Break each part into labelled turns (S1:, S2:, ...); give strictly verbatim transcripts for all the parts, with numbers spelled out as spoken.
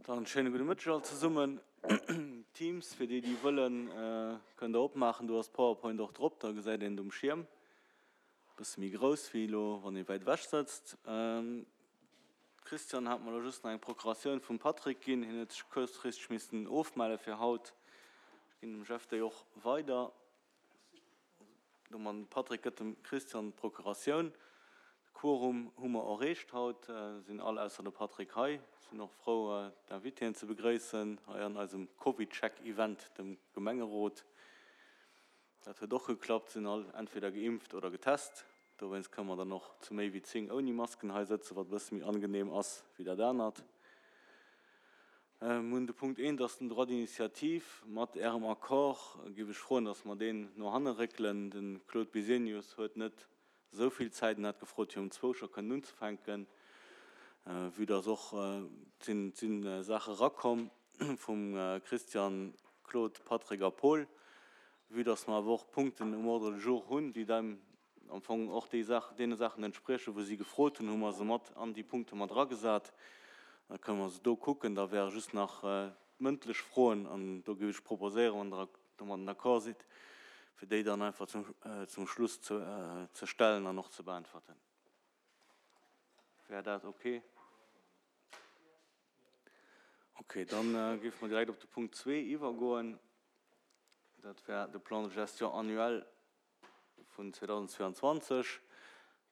S1: Dann schéine gudde Mëtteg all zesummen. Teams, fir déi, déi wëllen, kënnt Der opmaachen. Do ass d'PowerPoint och drop, da gesäit een et um Schierm. E bësse méi grouss wéi elo, wann ee wäit ewech sëtzt. Christian hat mer elo just nach eng Procuratioun vum Patrick ginn. Hien huet sech kuerzfristeg missen ofmelle fir haut. Ech ginn dem Jeff déi och weider. Domat, Patrick gëtt dem Christian d'Procuratioun. De Quorum hu mer erreecht haut, sinn all ausser de Patrick hei. Sinn och frou d'Invitéen ze begréissen hei an eisem CovidCheck-Event, dem Gemengerot. Dat huet och geklappt, sinn all entweder geimpft oder getest. Dowéinst kënne mer dann och zu méi wéi zéng ouni Masken hei sëtzen, wat e bësse méi angenehm ass wéi dat anert. Mir hunn de Punkt eent, ass den Droit d'initiative. Mat Ärem Accord géif ech froen, dass mer deen no hanne réckelen. De Claude Bisenius huet net esou vill Zäit en hat gefrot, fir um zwou scho kënnen unzefänken. Vue dass och, et sinn, et si Saache erakomm vum Christian, Claude, Patrick a Paul, vue dass mer awer och Punkten um Ordre du jour hunn, déi dem am Fong och déi Saach, deene Saachen entspriechen, wou si gefrot hunn, hu mer se mat an déi Punkte mat eragesat. Da kënne mer se do kucken. Da wäre just nach d'mëndlech Froen, an do géif ech proposéieren, wann Der domadden d'accord sidd, fir déi dann einfach zum, zum Schluss ze, ze stellen an och ze beäntwerten. Wär dat okay? Okay, dann géife mer direkt op de Punkt zwee iwwergoen. Dat wär de Plan de gestion annuel vun zweedausendzweeanzwanzeg.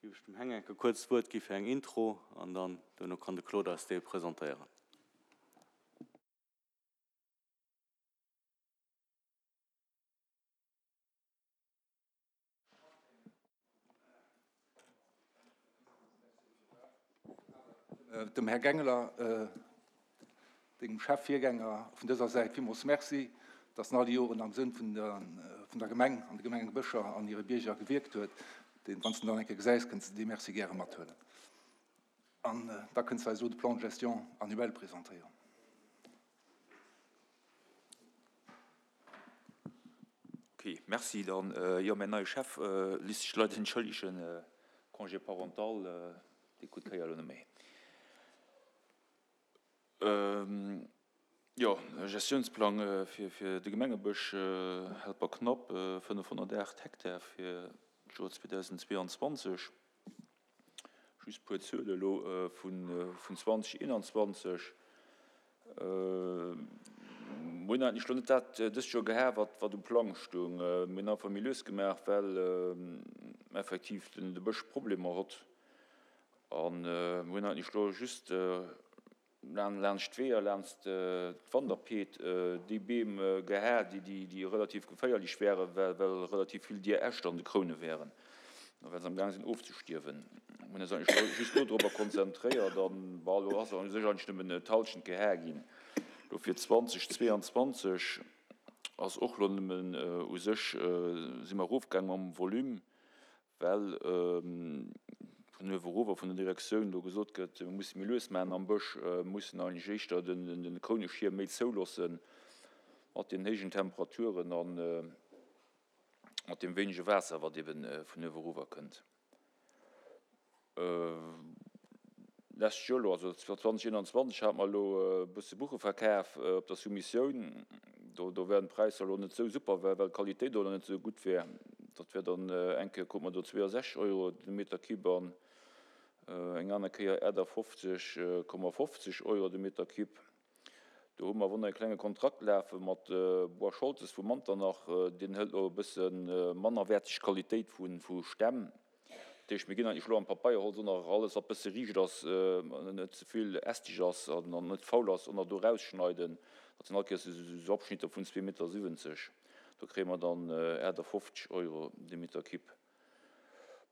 S1: Géif ech dem Heng enke kuerz d'Wuert gi fir eng Intro an dann duerno kann de Claude eis dee presentéieren.
S2: Dem Här Gangler, dengem Chef, Virgänger, vun dëser Säit villmools Merci, dass en all déi Joren am Sënn vun der Gemeng an de Gemengebëscher an hire Bierger gewierkt huet. Deen, wann s de en dann eng Kéier gesäis, kënns de dee Merci gäre mathuelen. An da kënns de eis elo de Plan de gestion annuel presentéieren.
S3: Ok, merci. Dann, jo, mäin neie Chef lisst sech leider entschëllegen, Congé parental, dee krut d'Kéier elo net méi. Jo, Gestiounsplang fir de Gemengebësch Helperknapp, fënnefhonnertaacht Hektar fir d'Joer zweedausendzweeanzwanzeg. Just e puer Zuele elo vun zweedausendeenanzwanzeg. Mir hunn eigentlech elo net dat dëst Joer gehat, wat wat um Plang stoung. Mir hunn einfach méi lues gemaach, well effektiv de Bësch Problemer hott. A mir hunn eigentlech elo just laanscht d'Weeër, laanscht d'Wanderpeed déi Beem geha, déi relativ geféierlech wären, well relativ vill dier Äscht an de Kroune wären a well se am Gaang sinn ofzestierwen. Mir hunn eis eigentlech just do dorobber konzentréiert an, bon, elo ass u sech eigentlech nëmmen d'Hallschent geha ginn. Elo fir zweetausendzweianzwanzeg ass och elo nëmmen u sech si mer erofgaang mam Volume, well vun uewe erof a vun der Direktioun do gesot gëtt, mir musse méi lues maachen am Bësch, mussen eigentlech éischter de Krouneschierm méi zouloosse mat den héijen Temperaturen a mat deem wéinege Waasser, wat ebe vun uewe erower kënnt. Lescht Joer elo, also zweedausendeenanzwanzeg, hate mer elo e bësse Buche verkaf op der Soumissioun. Do, do wären d'Präisser elo net esou super, well d'Qualitéit och net esou gutt wär. Dat wär dann eng Kéier krute mer do zweeasechzeg Euro de Meter Cube an eng aner Kéier achtafofzeg Komma fofzeg Euro de Meter Cube. Do hu mer awer och nach e klenge Kontrakt lafe mat Bois Scholtes vu Manternach. Deen hëlt elo e bësse mannerwäerteg Qualitéit vu Stämm. Dat heescht, mir ginn eigentlech elo am Papeierholz och nach alles, wat bësse riicht ass, net ze vill ästeg ass an net faul ass, och nach do erausschneiden. Dat sinn all Kéiers esou Abschnitter vun zwee Meter siwwenzeg. Do kréie mer dann achtafofzeg Euro de Meter Cube.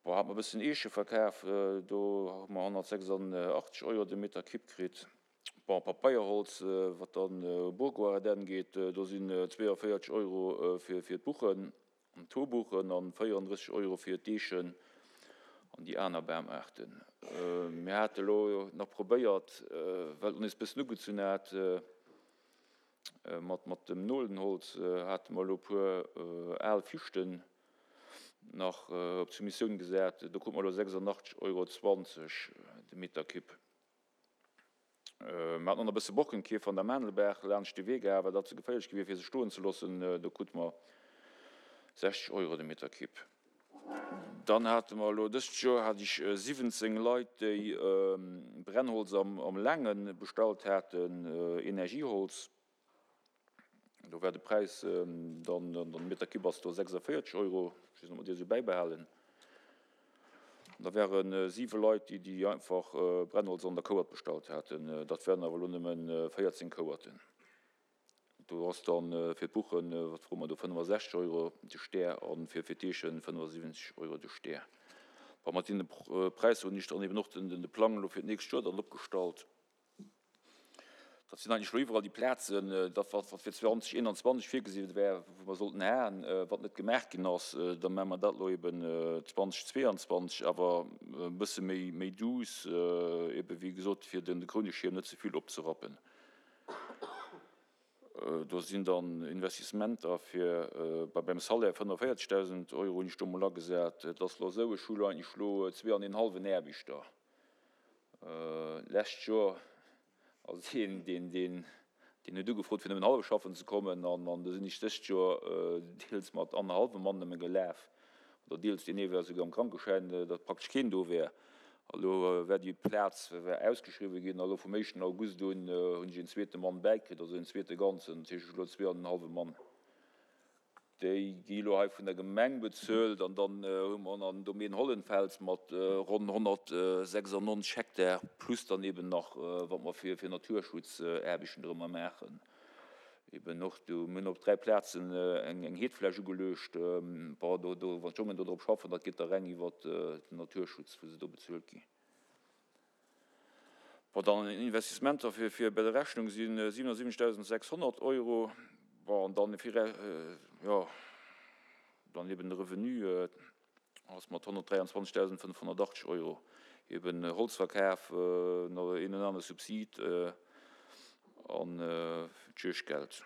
S3: Bon, hate mer e bëssen Eeche verkaf, do hu mer honnertsechsandachtzeg Euro de Meter Cube kritt. Bon, Papeierholz, wat dann u Bourgoarden geet, do sinn zweeënvéierzeg Euro fir d'Buchen. An d'Hobuchen an véierunddrësseg Euro fir d'Eechen an déi aner Bamaarten. Mir hate lo nach probéiert, well et nees bëssen ugezunn hat, mat mat dem Nolenholz hate mer elo e puer al Fichten nach op d'Soumissioun gesat. Do krute mer elo sechsundachtzeg Euro zwanzeg de Meter Cube. Mer haten och nach e bësse Borkenkäfer an der Maandelbaach laanscht de Wee gehat, well dat ze geféierlech gi wier, fir se stoen ze loossen. Do krute mer sechzeg Euro de Meter Kipp. Dann hate mer elo dëst Joer hat ech siwwenzéng Leit, déi Brennholz am Laange bestallt haten, Energieholz. Do war de Präis dann, den Meter Kipp ass do sechsundvierzeg Euro, ech weess net, ob mer déi esou bäibehalen. Da ware siwe Leit, déi déi einfach Brennholz an der Kouert bestallt haten. Dat wären awer elo nëmme véierzéng Kouerten. Do ass dann fir d'Buchen, wat froe mer do, fënnefasechzeg Euro de Stär a fir d'Eechen fënnefasiwwenzeg Euro de Stär. Bon, mat deene Präisser hunn ech dann eben och de Plang elo fir d'nächst Joer dann opgestallt. Dat sinn eigentlech elo iwwerall déi Plazen, dat wat fir zweitausendzweiundzwanzig virgesi war, wou mer sollten haen, wat net gemaach ginn ass, da maache mer dat elo eben zweitausendzweiundzwanzig, awer e bësse méi, méi douce, eben wéi gesot, fir den Krouneschierm net ze vill opzerappen. Do sinn dann Investissementer fir bei beim Salaire fënnefundvierzigtausend Euro hunn ech do mol agesat. Et ass elo esou, ech hu elo eigentlech elo zwee an een hallwen Aarbechter. Lescht Joer ass een, deen, deen, deen huet ugefrot, fir nëmmen hallef schaffen ze kommen, an, an do sinn ech dëst Joer deels mat annerhallwem Mann nëmme gelaf, oder deels, deen ee war souguer am Krankeschäin, datt praktesch keen do wär. A lo war déi Plaz war ausgeschriwwen ginn, a lo vum éischten August un hunn ech een zweete Mann bäikritt, also een zweete Ganzen, dat heescht ech hu lo zwee an en hallwe Mann. Déi gi lo hei vun der Gemeng bezuelt, an dann hu mer nach den Domaine Hollenfels mat ronn honnertsechsundneunzig Hektar, plus dann eben nach, wat mer fir, fir Naturschutzaarbechten drëmmer maachen. Eben och do, mir hunn op dräi Plazen eng, eng Heetfläch ugeluecht. Bon, do, do, wann d'Jongen do drop schaffen, dat geet da reng iwwer den Naturschutz, wou se do bezuelt ginn. Bon, dann Investissementer fir, fir bei der Rechnung si siebenundsiebzigtausendsechshundert Euro. Bon, an dann fir, jo, dann eben de Revenu ass mat honnertdräiundzwanzigtausendfünfhundertachtzig Euro. Eben Holzverkauf, nach een en anere Subsid an d'Juegdgeld.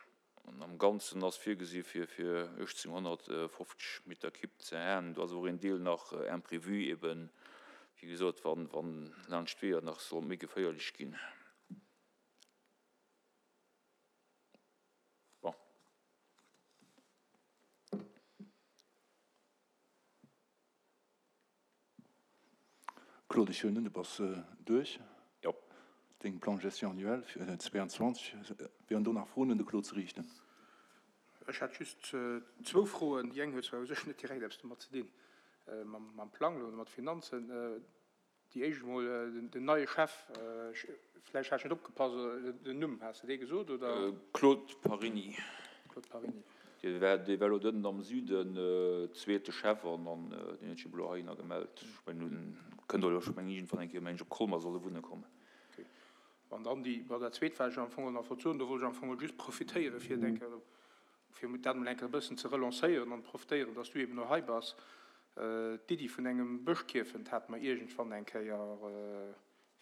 S3: An am Ganzen ass virgesi fir, fir achtzehnhundertfünfzig Meter Kipp ze haen. Do ass och een Deel nach imprévu, eben, wéi gesot, wann, wann laanscht d'Weeër nach soll méi geféierlech ginn. Bon.
S2: Claude, ech huelen un, du bass duerch.
S3: Jo.
S2: Deng Plan de gestion annuel fir zweiundzwanzig. Wären do nach Froen un de Claude ze riichten?
S4: Ech hätt just zwou Froen. Déi eng huet zwar u sech net direkt eppes domat ze dinn, mam, mam Plang oder mat Finanzen. Déi éischt mol, den, den neie Chef, vläicht hat ech net opgepasst, den Numm, has du dee gesot, oder?
S3: Claude Parini.
S4: Claude Parini.
S3: Dee war, dee war elo dënn am Süden, zweete Chef, an, an deen huet sech elo heihinner gemellt. Ech mengen, nun kënnt elo, ech mengen, iergendwann eng Kéier, mengen ech, op Colmar soll e wunne kommen.
S4: Okay. An dann déi, bei der zweet war ech am Fong nach wollt soen, do wollt ech am Fong just profitéieren, fir denke, fir dat mol eng Kéier e bëssen ze relancéieren an profitéieren, dass du eben noch hei bass. D'Iddi vun engem Bëschkierfent hat mer iergendwann eng Kéier,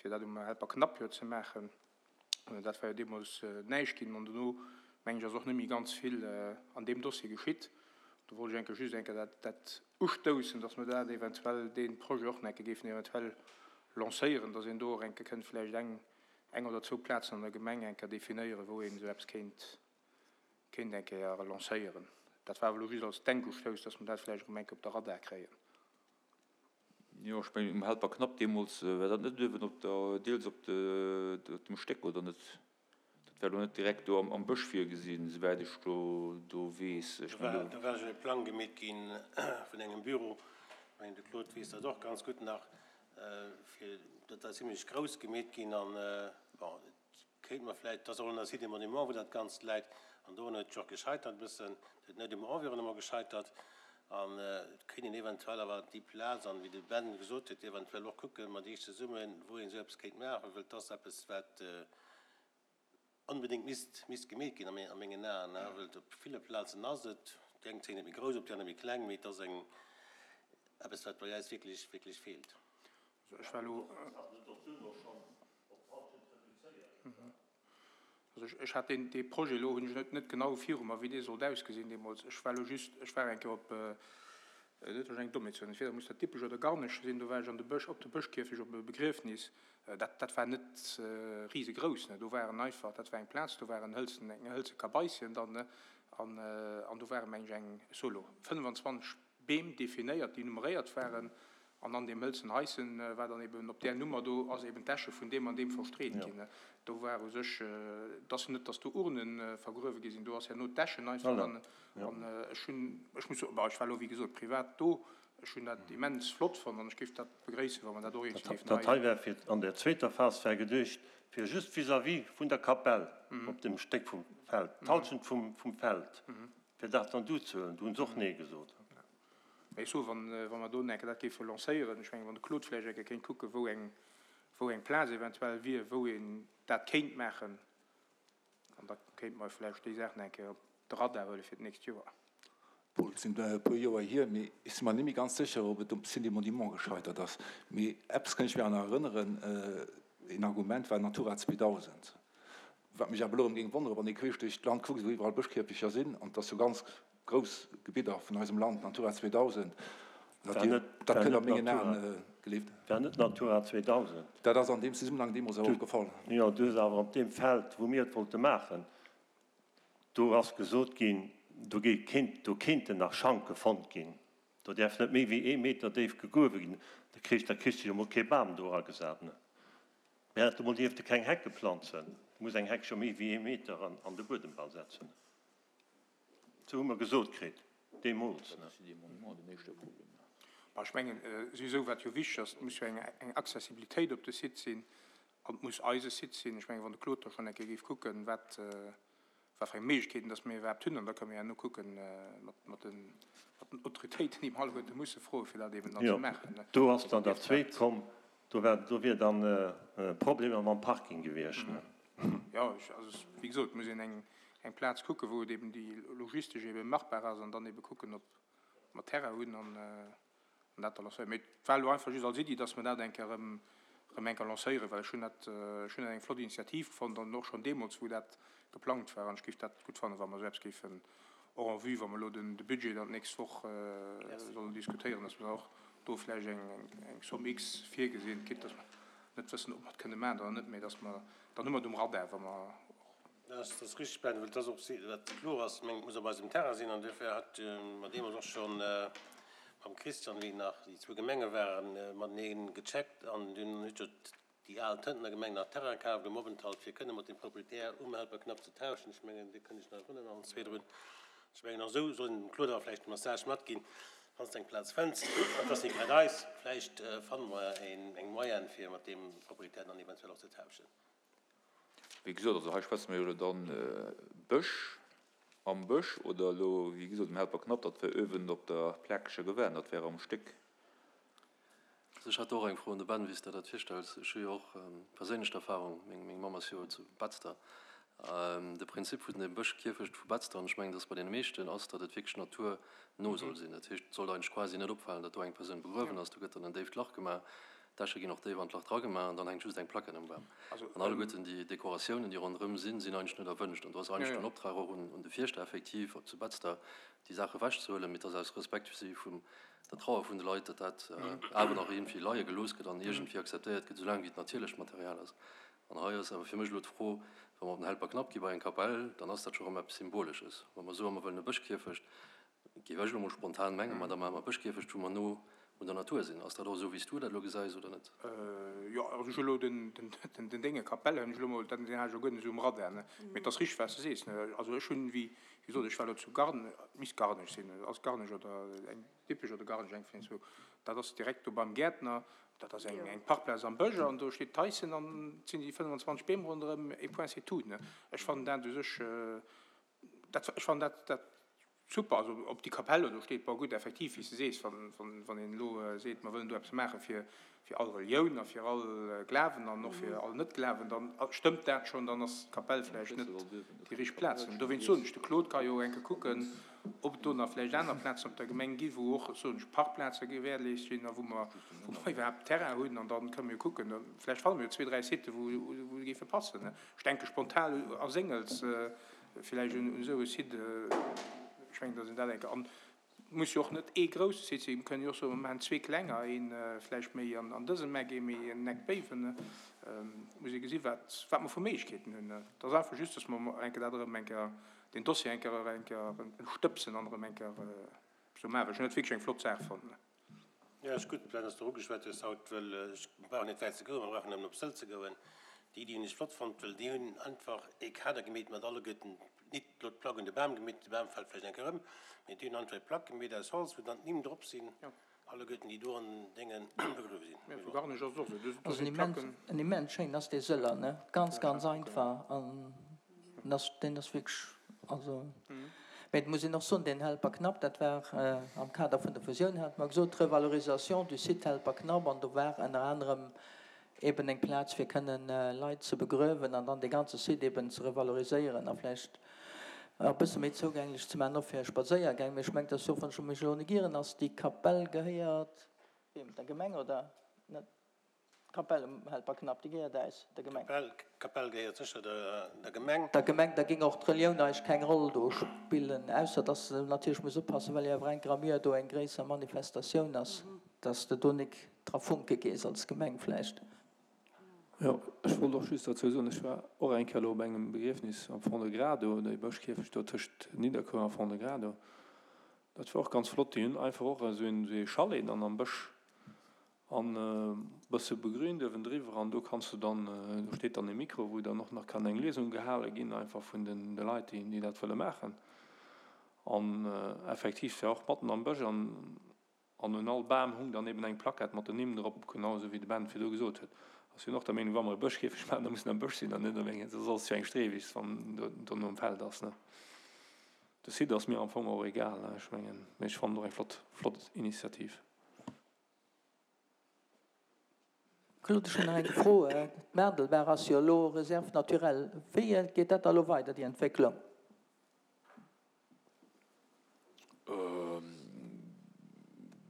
S4: fir dat um Helper Knapp jo ze maachen. Dat war jo deemools näischt ginn, an dono, mengen ech, ass och net méi ganz vill an deem Dossier geschitt. Do wollt ech eng Kéier just eng Kéier dat, dat ustoussen, dass mer dat eventuell, dee Projet och eng Kéier géifen eventuell lancéieren, dass een do och eng Kéier kënnt vläicht eng, eng oder zwou Plazen an der Gemeng eng Kéier definéieren, wou een esou eppes kéint, kéint eng Kéier lancéieren. Dat war elo just als Denkustouss, dass mer dat vläicht erëm eng Kéier op der Radar kréien.
S3: Jo, ech mengen, um Helper Knapp deemools war dat net uewen op der, deels op de, op dem Stéck, oder net? Dat war elo net direkt do am, am Bësch virgesinn, souwäit ech do, do weess. Ech
S5: Do war,
S3: mengen,
S5: do war schon e Plang gemeet ginn vun engem Büro. Ech mengen, de Claude weess dat och ganz gutt nach, fir dat war zimmlech grouss gemeet ginn an, bon, et kéint mer vläicht, dat ass och an der Cité Monument, wou dat Ganzt läit, an do huet et jo och gescheitert e bëssen, dat huet net um Environnement gescheitert, an et kéint een eventuell awer déi Plaz, an wéi de Ben gesot huet, eventuell och kucken mat iech zesummen, wou een esou eppes kéint maachen, well et ass eppes, wat onbedéngt misst, misst gemeet ginn a mengen Aen, well et op ville Plazen ass et, déi eng zéien et méi grouss op, déi aner méi kleng, mee et ass eng eppes, wat bei eis wierklech, wierklech feelt.
S4: Also ech war elo, also ech, ech hat deen, dee Projet elo hunn ech net, net genau viru mer, wéi dee sollt ausgesinn deemools. Ech war elo just, ech war eng Kéier op, Dat ass eng Dommheet. Entweder muss dat Dippech oder Garnech sinn. Do war ech an de Bësch, op de Bëschkierfecht op e Begriefnis. Dat, dat war net risegrouss, ne. Do waren einfach, dat war eng Plaz, do waren hëlzen, eng hëlze Kabaissien dann, ne, an, an do ware meng ech eng solo fënnfanzwanzeg Beem definéiert, déi nummeréiert waren. An an deem hëlzen Haischen war dann eben op där Nummer do ass eben d'Äsche vun deem an deem verstreet ginn, ne. Do war u sech, et ass net, datt do Urne vergruewe gi sinn, do ass herno d'Äschen einfach an, an ech hunn, ech muss soen, bon, ech war elo wéi gesot privat do, ech hunn dat immens flott fonnt an ech géif dat begréissen, wa mer dat och iergendwéi géifen
S5: Dat
S4: hei.
S5: hei war fir an der zweeter Phas war geduecht, fir just vis-à-vis vun der Kapell op dem Stéck vum Feld, d'Halschent vum, vum Feld, fir dat dann do ze huelen. Do hunn se och Nee gesot.
S4: Mee ech soen, wann, wa mer do eng Kéier dat géife lancéieren, ech mengen, wann de Claude vläicht eng Kéier kéint kucken, wou eng, wou eng Plaz eventuell wier, wou een dat kéint maachen, an da kéinte mer vläicht déi Saachen eng Kéier op de Radar huele fir d'nächst Joer.
S2: Paul, et sinn e puer Joer hier, mee ech si mer net méi ganz sécher, ob et um Site des Monuments gescheitert ass. Mee eppes kann ech mir awer nach erënneren, een Argument war Natura zweedausend. Wat mech awer elo erëm géing wonneren, wann ee queesch duerch d'Land kuckt, wou iwwerall Bëschkierfecher sinn, an et ass jo ganz grouss Gebidder vun eisem Land, Natura zweedausend, dat
S5: War net,
S2: dat
S5: war
S2: kënnt a
S5: net
S2: mengen
S5: Natura,
S2: Aen, gelift.
S5: war net Natura zweedausend.
S2: Dat ass an deem Zesummenhang deemools awer
S5: Du,
S2: och gefall.
S5: jo, du hues awer op deem Feld, wou mir et wollte maachen, do ass gesot ginn, do géi kéint, do kéinten nach Schanke fonnt ginn. Do däerf net méi wéi ee Meter déif gegruewe ginn. Da kriss, da kriss du jo mol kee Bam do eragesat, ne? Mä dat emol dierf de keng Hecke planzen. Du muss eng Heck scho méi wéi ee Meter an, an de Buedem bal setzen. Sou hu mer gesot kritt, deemools, ne?
S4: Bon, ech mengen, souwisou, wat jo wichteg ass, et muss jo eng, eng Accessibilitéit op de Site sinn an et muss eise Site sinn. Ech mengen, wann de Claude da schonn eng Kéier géif kucken, wat, wat fir eng Méiglechkeeten dass mir iwwerhaapt hunn, an da kënne mir herno kucken, mat, mat den, mat den Autoritéiten, déi mer alleguerte musse froen, fir dat eben dann ze
S5: Jo,
S4: maachen, ne.
S5: do ass
S4: Also
S5: dann dat
S4: dierft
S5: Zweet
S4: dat.
S5: komm, do war, do wier dann Problemer mam Parking gewiescht, ne.
S4: Jo, ech, also wéi gesot, et muss een eng, eng Plaz kucken, wou et eben déi logistesch eben machbar ass, an dann eben kucken, ob mer Terrain hunn an, an dat da lancéieren. Mee et war elo einfach just als Iddi, dass mer dat eng Kéier erëm, erëm eng Kéier lancéieren, well ech hunn dat, ech hunn dat eng flott Initiativ fonnt an och schonn deemools, wou dat geplangt war, an ech géif dat gutt fannen, wa mer esou eppes géifen och en vue, wa mer elo den, de Budget dann d'nächst Woch sollen diskutéieren, dass mer och do vläicht eng, eng Somme X virgesinn, quitte dass mer net wëssen, ob mer et kënne maachen oder net, mee dass mer, dann hu mer et um Radar, wa mer och.
S5: Dat ass richtig, Ben, well et ass och wat kloer ass, meng, et muss op eisem Terrain sinn, an duerfir hat mer deemools och scho mam Christian, wéi nach déi zwou Gemenge waren, matenee gecheckt, an dunn huet jo déi al Tëntener Gemeng nach Terrain kaaft um Openthalt, fir kënne mat dem Proprietär um Helperknapp ze tauschen. Ech mengen, do kënn ech nach erënneren, allen zwee drun. Ech mengen, och esou soll een dem Claude awer vläicht de Message matginn, Wann s de eng Plaz fënns, an et ass net grad eis, vläicht fanne mer eng Moyenne, fir mat deem Proprietär dann eventuell och ze tauschen.
S3: Wéi gesot, also hei schwätze mer jo elo dann Bësch, am Bësch oder elo, wéi gesot, um Helperknapp, dat wär uewen op der Plakescher Gewänn, dat wär am Stéck.
S6: Also ech hätt och eng Fro un de Ben, wéi s de dat virstells. Ech hu jo och perséinlech d'Erfahrung, meng, meng Mamm ass jo zu Betzder. De Prinzip vun dem Bëschkierfecht vu Betzder, an ech mengen, dass bei deene meeschten ass, datt et wierklech naturno soll sinn. Dat heescht, et sollt eigentlech quasi net opfalen, datt do eng Persoun begruewen ass. Do gëtt dann en déift Lach gemaach, d'Äsche ginn och déif an d'Lach dragemaach an dann hänkt just eng Plaquette um Bam. An alleguerten déi Dekoratiounen, déi ronderëm sinn, sinn eigentlech net erwënscht. An do ass eigentlech den Optrag och un de Fierschter effektiv zu Betzder, déi Saach ewechzehuelen, mee et ass aus Respekt vis-à-vis vun der Trauer vun de Leit, datt dat awer nach iergendwéi leie gelooss gëtt an iergendwéi akzeptéiert gëtt, soulaang wéi et natierlecht Material ass. An hei ass awer fir mech elo d'Fro, wa mer op den Helperknapp gi bei eng Kapell, dann ass dat scho rëm eppes Symbolesches. Wa mer soen, mer wëllen e Bëschkierfecht, géif ech elo mol spontan mengen, ma da maache mer e Bëschkierfecht, wou mer no un der Natur sinn. Ass dat och esou, wéi s du dat elo gesäis, oder net?
S4: Jo, also ech hu elo den, den, den Dénge Kapell hunn ech elo mol, den hat ech jo guer net esou um Radar, ne. Mee et ass richteg, wat s de sees, ne. Also ech hunn, wéi gesot, ech war elo zu Garn, et misst Garnech sinn, ass Garnech oder eng Dippech oder Garnech, eng vun den zwou, dat ass direkt do beim Gäertner, dat ass eng, eng Parkplaz am Bësch an do steet d'Heischen an et sinn déi fënnfanzwanzeg Beem ronderëm, et point c'est tout, ne. Ech fannen dat u sech, dat, ech fannen dat, dat super, also ob déi Kapell elo do steet, bon gutt, effektiv, wéi s de sees, wann, wann, wann een elo seet, mer wëllen do eppes maache fir, fir all Relioun a fir all Glawen an och fir all Net-Glawen, dann stëmmt dat schonn, dann ass d'Kapell vläicht net déi richteg Plaz. An dowéinst soen ech, de Claude ka jo eng Kéier kucken, ob et do nach vläicht aner Plazen op der Gemeng gi wou och, soen ech, Parkplaze gewährleescht sinn a wou mer, wou mer iwwerhaapt Terrain hunn an dann kënne mir jo kucken, vläicht fanne mir jo zwee, dräi Siten, wou, wou se géife passen. Ech denke spontan a Séngels, vläicht un esou e Site, ech mengen, datt een dat eng Kéier, an Muss jo och net ee grousse Site sinn, mir kënnen jo och soen, mir maachen zwee klenger, een vläicht méi an dësem Eck, ee méi en Eck béiwen. Et muss ee gesi wat wat mer vu Méiglechkeeten hunn. Et ass einfach just, dass mer eng Kéier dat erëm eng Kéier, deen Dossier eng Kéier eng Kéier stëbsen an erëm eng Kéier esou maachen. Ech hunn dat wierklech eng flott Saach fonnt.
S5: Jo, ass gutt, Ben, dass de ugeschwat hues haut, well ech brauch net wäit ze goen, mer brauchen nëmmen op Sëll ze goen. Déi Iddi hunn ech flott fonnt, well déi hunn einfach ee Kader gemeet mat alleguerten, nit elo d'Plack un de Bam gemeet, de Bam fält vläicht eng Kéier ëm, mee déi hunn einfach eng Plack gemeet aus Holz, wou dann d'Nimm drop sinn, alleguerten déi do an Déngen begruewe sinn.
S4: Mee bon. Garnech ass et och esou, do
S7: Also
S4: sinn
S7: en immens,
S4: d'Placken.
S7: en immens schéin ass dee Sëller, ne? Ganz, ganz einfach an en ass, deen ass wierklech, also. Mee et muss een och soen, deen Helperknapp, dat war am Kader vun der Fusioun, hate mer gesot, Revalorisation du site Helperknapp, an do war ënner anerem eben eng Plaz fir kënnen Leit ze begröwen an dann dee ganze Site eben ze revaloriséieren a vläicht e bësse méi zougänglech ze maachen, och fir Spadséiergäng. Mee ech mengen, dass jo, wann ech mech elo net ieren, ass déi Kapell gehéiert wiem? Der Gemeng oder net? D'Kapell um Helperknapp, déi gehéiert äis, der Gemeng.
S5: D'Kapell gehéiert sécher der Gemeng.
S7: Der Gemeng, da géing och d'Relioun eigentlech keng Roll do spillen, ausser dass de natierlech muss oppassen, well jo awer eng Kéier am Joer do eng gréisser Manifestatioun ass, dass de do nik dra funke gees als Gemeng vläicht.
S8: Jo, ech wollt och just dozou soen, ech war och eng Kéier elo op engem Begriefnis am Fond-de-Gras do, dee Bëschkierfecht do tëscht Nidderkuer a Fond-de-Gras do. Dat war och ganz flott. Déi hunn einfach och esou een, esou ee Chalet dann am Bësch an e bësse begrünt uewendriwwer an do kanns du dann, do steet dann e Mikro, wou dann och nach kann eng Liesung gehale ginn, einfach vun den de Leit, déi, déi dat wëlle maachen. An effektiv, war och matten am Bësch an An un all Bam hung dann eben eng Plaquette mat den Nimm drop, genau esou wéi de Ben virdu gesot huet. Ech sinn och der Meenung, wa mer e Bëschkäfeg maachen, da muss en am Bësch sinn an net op engem, soss ass et jo eng Streewiss, wann en dono um Feld ass, ne. De Site ass mir am Fong och egal, ne, ech mengen, mee ech fannen et och eng flott, flott Initiativ.
S7: Claude, ech hunn nach eng Fro. D'Maardelbaach ass jo elo Réserve naturelle. Wéi geet dat da elo weider, déi Entwécklung?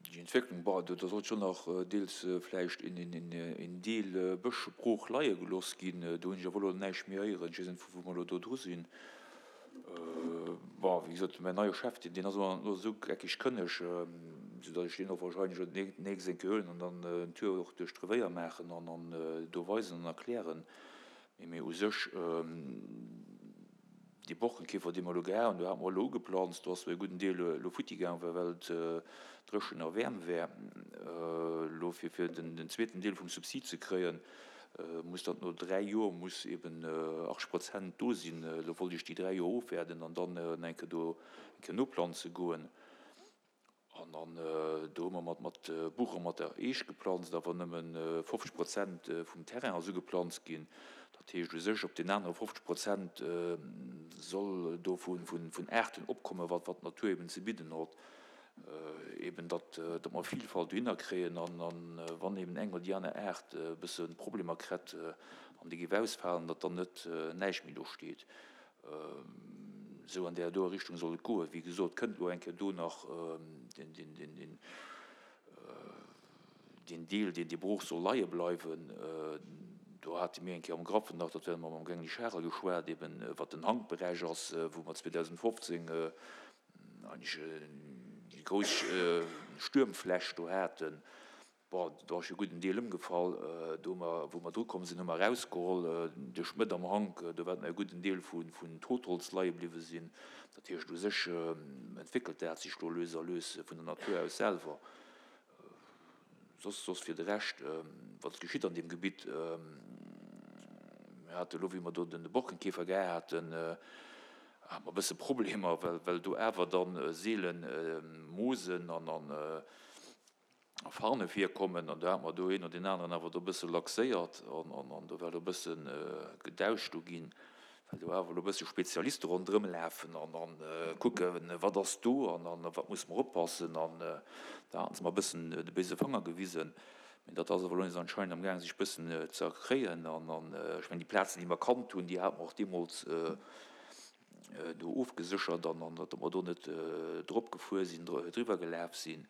S3: Déi Entwécklung, bon, do sollt schonn nach deels vläicht een Deel Bësch brooch leie gelooss ginn. Do hunn ech awer elo näischt méi héieren. Ech weess net, vu wou mer elo do dru sinn. Bon, wéi gesot, mäin neie Chef, deen ass elo esou geckeg kënneg, soudatt ech deen och wahrscheinlech elo d'nächst eng Kéier huelen an dann en Tour och duerch d'Revéier maachen an do weisen an erklären. Mee u sech, Dee Borkenkäfer, dee mer elo gehat hunn, do hate mer elo ugeplanzt, do ass zwar e gudden Deel elo futti gaang, well et dréchen a waarm war. Elo fir fir den zweeten Deel vum Subsid ze kréien, muss dat no dräi Joer muss eben achtzeg Prozent do sinn. Elo wollt ech déi dräi Joer ofwaarden an dann eng Kéier do eng Kéier noplanze goen. An dann do hu mer mat mat Buch a mat der Eech geplanzt, awer nëmme fofzeg Prozent vum Terrain ass ugeplanzt ginn. Dat heescht u sech, op den anere fofzeg Prozent soll do vu vun Aarten opkommen, wat wat d'Natur eben ze bidden hott. Eben datt datt mer Vilfalt dohinner kréien an an wann eben eng oder déi aner Aart e bësse Problemer kritt an déi géif ausfalen, datt dann net näischt méi do steet. Esou an där doer Richtung soll et goen. Wéi gesot, kënnt elo eng Kéier do nach deen Deel, deen dee brooch soll leie bleiwen. Do hate mir eng Kéier am Graffen nach, dat wäerte mer mam Gengli Charel geschwat, eben wat den Hankberäich ass, wou mer zweedausendfofzéng eigentlech déi grouss Stuermfläch do haten. Bon, do ass jo e gudden Deel ëmgefall. Do hu mer, wou mer drukomm sinn, hu mer erausgeholl duerch d'Mëtt am Hank, do war e gudden Deel vun Totholz leie bliwwe sinn. Dat heescht, u sech entwéckelt dat sech do lues a lues vun der Natur aus selwer. Soss, soss fir de Rescht, wat geschitt an deem Gebitt, mir hate elo, wéi mer do den Borkenkäfer gehat haten, hate mer e bësse Problemer, well, well do awer da seelen Moosen an, an, a Farne virkommen, an do hat mer do een oder deen aneren awer do e bësse laxéiert an do war elo e bësse Gedauscht do ginn, well do awer elo e bësse Spezialiste ronderëm lafen an kucken, wat ass do an op wat musse mer oppassen. An da haten se mer e bëssen de béise Fanger gewisen. Mee dat ass awer elo nees anscheinend amgaang sech e bëssen ze erkréien. An ech mengen, déi Plazen, déi mer kannt hunn, déi hate mer och deemools do ofgeséchert an datt mer do net drop gefuer sinn, driwwer gelaf sinn,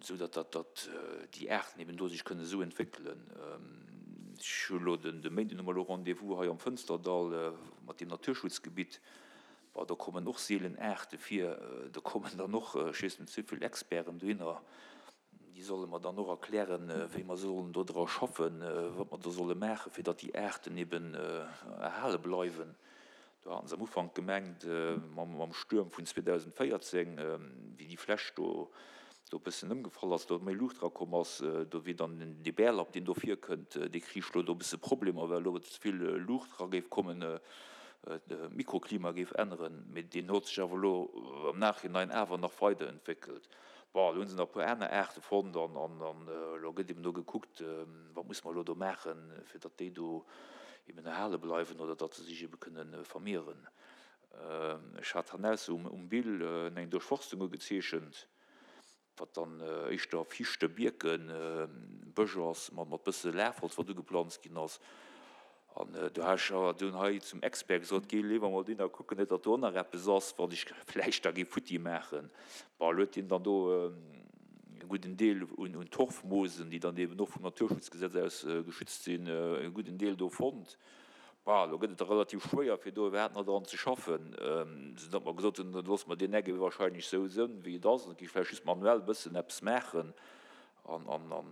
S3: esou datt datt déi Aarten eben do sech kënnen esou entwéckelen. Ech hu elo den de Méinden hu mer elo Rendez-vous hei am Fënsterdall mat deem Naturschutzgebitt. Bon, do kommen och seelen Aarte vir. Do kommen dann och, ech weess net, souvill Experten dohinner, déi solle mer dann och erklären, wéi mer sollen do dra schaffen, wat mer do solle maachen, fir datt déi Aarten eben erhale bleiwen. Do haten se am Ufank gemengt, mam Stuerm vun zweedausendvéierzéng, wéi déi Fläch do e bëssen ëmgefall ass, do méi Luucht erakomm ass, do wier dann dee Bärlapp, deen do virkënnt, dee kricht elo do e bësse Problemer, well elo ze vill Luucht era géif kommen, d'Mikroklima géif änneren. Mee deen huet sech awer elo am Nachhinein awer nach weiderentwéckelt. Bon, elo hu se nach e puer aner Aarte fonnt an elo gëtt eben do gekuckt, wat musse mer elo do maachen, fir datt déi do eben erhale bleiwen oder datt se sech ebe kënne vermehren. Ech hat hannausse um Bill eng Duerchforstung ugezeechent, wat dann éischter Fichte, Bierken, Bësch ass mat bësse Lafholz, wat ugeplanzt ginn ass. An do hat ech awer dunn hei zum Expert gesot, Géi léiwer mol dohinner kucken, net datt do och nach eppes ass, wat ech vläicht da géif futti maachen. Bon, elo huet hien dann do e gudden Deel un Torfmoosen, déi dann eben och vum Naturschutzgesetz aus geschützt sinn, e gudden Deel do fonnt. Bon, elo gëtt et da relativ schwéier, fir do iwwerhaapt nach dran ze schaffen, soudatt mer gesot hunn, da loosse mer deen Eck ebe wahrscheinlech esou sënn, wéi et ass, an gi vläicht just manuell e bëssen eppes maachen. An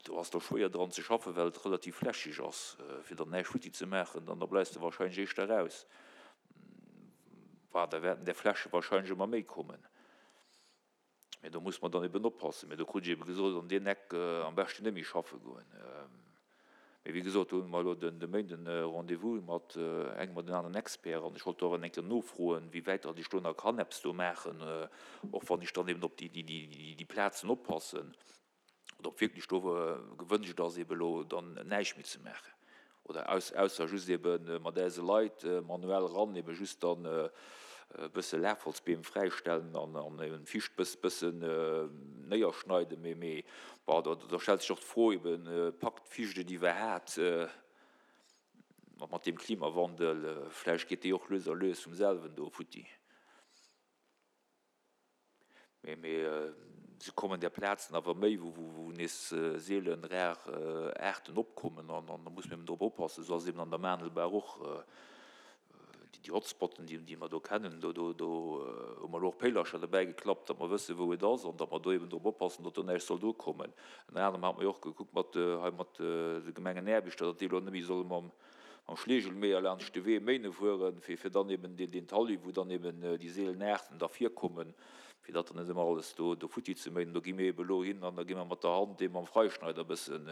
S3: do ass da schwéier dran ze schaffen, well et relativ flächeg ass. Fir dann näischt futti ze maachen, dann da bleifs de wahrscheinlech éischter raus. Bah, da wäerten där Fläche wahrscheinlech ëmmer méi kommen. Mee do muss mer dann eben oppassen. Mee do krut ech ebe gesot, an deen Eck am beschten net méi schaffe goen. Mee wéi gesot, do hu mer elo de Méinden e Rendez-vous mat engem oder aneren Expert an ech wollt do awer eng Kéier nofroen, wéi wäit datt ech do nach kann eppes do maachen, och wann ech dann eben op déi Plazen oppassen oder ob wierklech do gewënscht ass, eben elo dann näischt méi ze maachen oder ausser just ebe mat eise Leit manuell ran, ebe just dann e bësse Lafholzbeem fräistellen an eben d'Ficht bëssen néierschneiden. Mee, mee bon, do, do stellt sech och d'Fro eben, packt d'Ficht et iwwerhaat mat deem Klimawandel? Vläicht geet déi och lues a lues vum selwen do futti. Mee, mee se kommen där Plazen awer méi, wou, wou nees seelen rar Aarten opkommen an da muss mer eben drop oppassen. Esou ass et eben an der Maandelbaach och. Déi Hotspotten, déi mer do kennen, do hu mer elo och Péilercher derbäi geklappt, datt mer wëssen, wou et ass an datt mer do eben drop oppassen, datt do näischt soll drukommen. Ënner anerem hate mer jo och gekuckt mat hei mat de Gemengenaarbechter, datt déi elo net méi solle mam Schleegelméier laanscht de Wee méine fueren, fir dann eben deen Talus, wou dann eben déi seelen Aarten da virkommen, fir datt dann net ëmmer alles do do futti ze méinen. Do gi mir ebe elo hin an da gi mer mat der Hand dee mam Freischneider e bëssen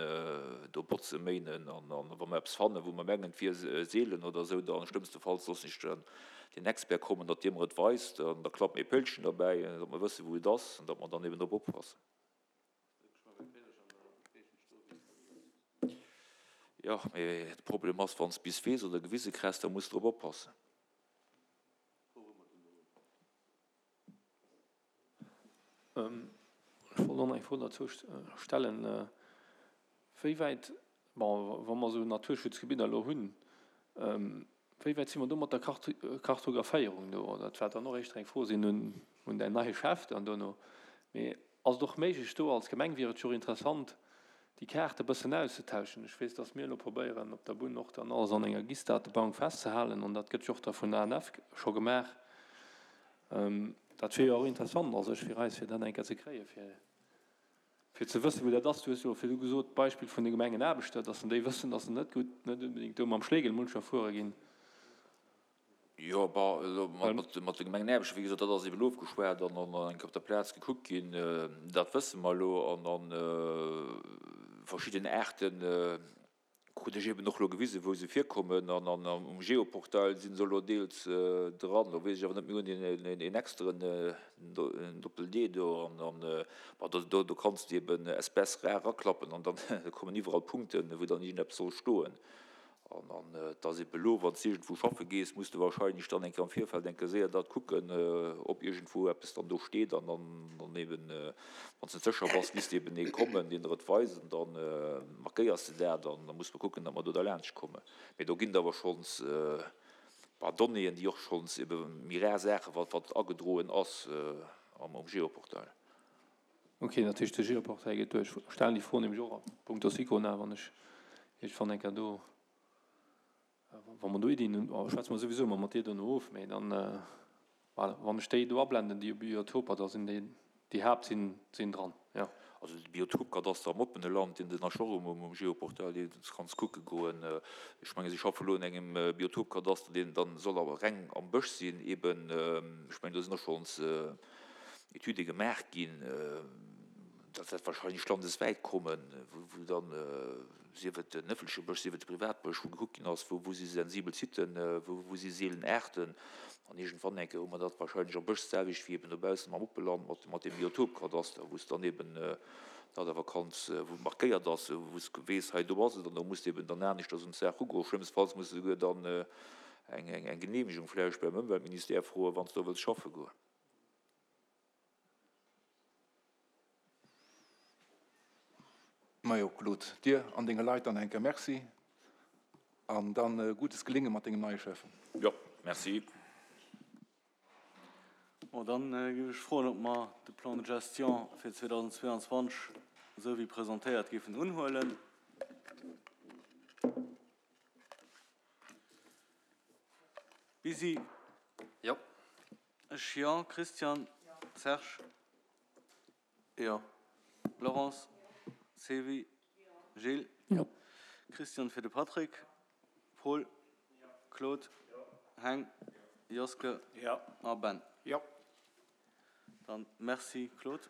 S3: do botze méinen an wa mer eppes fannen, wou mer mengen, et wier seelen oder esou, da schlëmmstefalls loossen ech dann den Expert kommen, datt dee mer et weist an da klappe mir e Pëllchen derbäi, datt mer wëssen, wou et ass an datt mer dann eben drop oppassen. Jo, mee de Problem ass, wann s de bis weess oder gewise kriss, da muss de drop oppassen.
S8: Ech wollt och nach eng Fro derzou stellen, wéi wäit, bon, wa mer esou Naturschutzgebidder elo hunn, wéi wäit si mer do mat der Kartographéierung do? Dat wäert dann och éischter eng Fro sinn un däin neie Chef dann dono. Mee ass et och méiglech do als Gemeng, wier et jo och interessant, déi Kaarte bëssen auszetauschen. Ech weess, dass mir elo probéieren op der Bunn och dann alles an enger GIS-Datebank festzehalen an dat gëtt jo och da vun der A N F scho gemaach. Dat wier jo och interessant a sech fir eis, fir dat eng Kéier ze kréien, fir, fir ze wëssen, wou dat ass. Du hues jo virdu gesot, d'Beispill vun de Gemengenaarbechter, dass en déi wëssen, dass se net gutt, net unbedéngt do mam Schlegel muncher fuere ginn.
S3: Jo, bon, elo mat de Gemengenaarbechter, wéi gesot, dat ass eben ofgeschwat an eng Kéier op der Plaz gekuckt ginn. Dat wësse mer elo. An verschidden Aarten krut ech eben och elo gewisen, wou se virkommen. An um Geoportail si se elo deels dran. Elo weess ech awer net, mir hunn een exteren Doppel-D do. An bon, do kanns de eben Espèce rare raklappen an da kommen iwwerall Punkten, wou dann iergendeppes soll stoen. An et ass ebe lo, wann s de iergendwou schaffe gees, muss de wahrscheinlech dann eng Kéier am Virfeld eng Kéier séier dat kucken, ob iergendwou eppes dann do steet. An dann eben, wann s de net sécher bass, misst eben ee kommen, deen der et weist, an da markéiers de dat an da muss mer kucken, datt mer do derlaanscht kommen. Mee do ginn et awer schonns e paar Donnéeën, déi och schonns ebe méi rar Saachen, wat wat agedroen ass am Geoportail.
S8: Ok, dat heescht, de Geoportail geet duerch. Ech stellen déi Fro nämlech och a punkto Sicona, wann ech iergendwann eng Kéier do Wa mer do Iddien hunn, schwätze mer souwisou ëmmer mat dir dono of, mee dann, voilà, wann ech déi do ablenden, déi Biotoper, da sinn déi, déi Haapt sinn, sinn dran, jo.
S3: Also de Biotopkadaster am oppene Land, deen den ass och um Geoportail, dee kanns kucke goen. Ech menge si schaffe lo un engem Biotopkadaster, deen dann soll awer reng am Bësch sinn eben. Ech mengen do sinn och schonns Etüde gemaach ginn. Dat wäert wahrscheinlech landeswäit kommen, wou dann, sief et den ëffentleche Bësch, sief et de Privatbësch, wou gekuckt ginn ass, wou wou si sensibel Siten, wou wou si seelen Aarten. An iergendwann eng Kéier hu mer dat wahrscheinlech am Bësch d'selwecht wéi eben dobaussen am Oppeland mat mat deem Biotopkadaster, wou s dann eben dat awer kanns, wou markéiert ass, wou s weess, hei do ass et, an do muss de eben dann aneschters un d'Saach ugoen. Schlëmmstfalls muss de souguer dann eng eng Genehmegung vläicht beim Ëmweltministère froen, wann s do wëlls schaffe goen.
S2: Majo Claude, dir an denge Leit dann eng Kéier Merci an dann gutes Gelinge mat dengem neie Chef.
S3: Jo, merci.
S1: Bon, dann géif ech froen, ob mer de Plan de gestion fir zweedausendzweeanzwanzeg esou wéi presentéiert géifen unhuelen. Bisi?
S6: Jo.
S1: Ech jo. Christian? Serge? Jo. Laurence? Sevi? Gilles?
S8: Jo.
S1: Christian fir de Patrick? Paul? Claude? Heng? Joske?
S4: Jo.
S1: A Ben?
S4: Jo.
S1: Dann merci Claude.